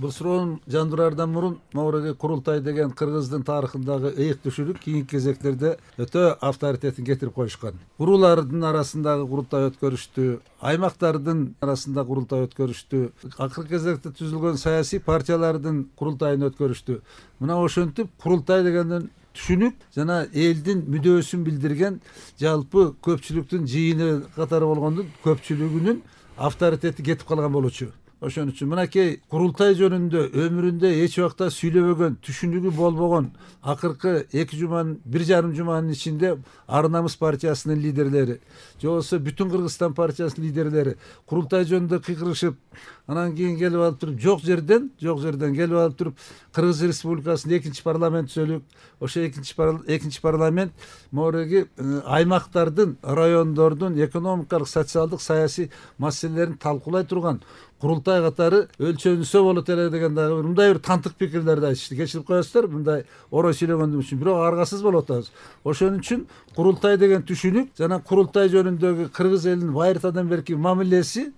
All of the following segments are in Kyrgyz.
Бул суроону жандыраардан мурун могуреги курултай деген кыргыздын тарыхындагы ыйык түшүнүк кийинки кезектерде өтө авторитетин кетирип коюшкан. Уруулардын арасындагы курултай өткөрүштү, аймактардын арасында курултай өткөрүштү, акыркы кезекте түзүлгөн саясий партиялардын курултайын өткөрүштү. Мына ошентип курултай дегенден түшүнүк жана элдин мүдөөсүн билдирген жалпы көпчүлүктүн жыйыны катары болгондун көпчүлүгүнүн авторитети кетип калган болчу. Ошон үчүн мынакей курултай жөнүндө өмүрүндө эч убакта сүйлөбөгөн, түшүнүгү болбогон акыркы 2 жуманын 1,5 жуманын ичинде Ар намыс партиясынын лидерлери, же болбосо Бүтүн Кыргызстан партиясынын лидерлери курултай жөнүндө кыйкырышып, анан кийин келип алып туруп жок жерден келип алып туруп Кыргыз Республикасынын 2 парламент түзөлүп, ошо 2 парламент могуреги аймактардын, райондордун экономикалык, социалдык, саясий маселелерин талкуулай турган курултай катары өлчөнүсө болот эле деген дагы мындай бир тантык пикирлерди айтышты. Кечирип коесуздар, мындай орой сүйлөгөнүм үчүн, бирок аргасыз болуп атабыз. Ошон үчүн курултай деген түшүнүк жана курултай жөнүндөгү кыргыз элинин байыртадан берки мамилеси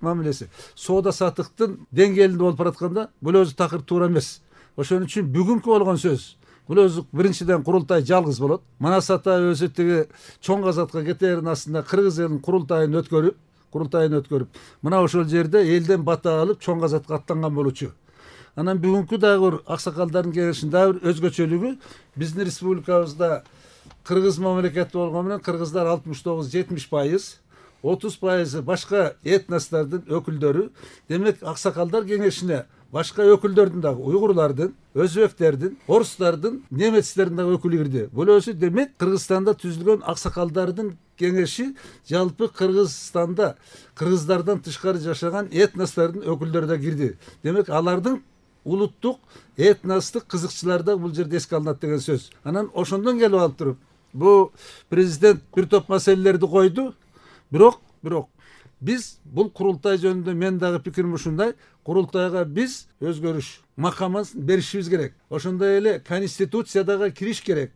соода саттыктын деңгээлинде болуп баратканда бул өзү такыр туура эмес. Ошон үчүн бүгүнкү болгон сөз бул өзү биринчиден курултай жалгыз болот. Манас ата өзү тиги чоң казатка кетээрин астында кыргыз элинин курултайын өткөрүп, мына ошол жерде элден бата алып чоң казатка аттанган болчу. Анан бүгүнкү дагы бир аксакалдардын кеңешинин дагы бир өзгөчөлүгү биздин республикабызда кыргыз мамлекети болгону менен кыргыздар 69-70%, 30% башка этностордун өкүлдөрү. Демек аксакалдар кеңешине башка өкүлдөрдүн дагы уйгурлардын, өзбектердин, орустардын, немецтердин дагы өкүлү кирди. Бул өзү демек Кыргызстанда түзүлгөн аксакалдардын кеңеши жалпы Кыргызстанда кыргыздардан тышкары жашаган этностордун өкүлдөрү да кирди. Демек алардын улуттук, этностук кызыкчылары да бул жерде эске алынат деген сөз. Анан ошондон келип алып туруп, бул президент бир топ маселелерди койду, бирок биз бул курултай жөнүндө мен дагы пикирим ушундай, курултайга биз өзгөрүш макамын беришибиз керек. Ошондой эле конституцияга кириш керек.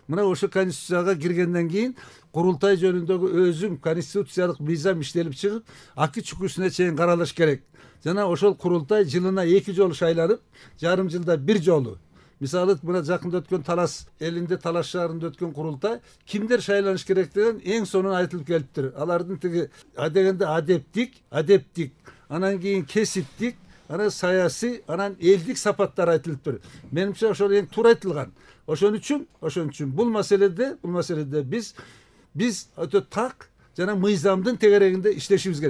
Мына ошо конституцияга киргенден кийин курултай жөнүндөгү өзүм конституциялык мыйзам иштелип чыгып, акы чүкүсүнө чейин каралыш керек. Жана ошол курултай жылына 2 жолу шайланып, жарым жылда 1 жолу. Мисалы мына жакында өткөн Талас элинде, Талас шаарында өткөн курултай кимдер шайланыш керек деген эң сонун айтылып келиптир. Алардын тиги дегенде адептик, анан кийин кесиптик, анан саясий, анан элдик сапаттар айтылыптыр. Менимче ошол эң туура айтылган. Ошон үчүн бул маселеде биз өтө так жана мыйзамдын тегерегинде иштешибиз керек.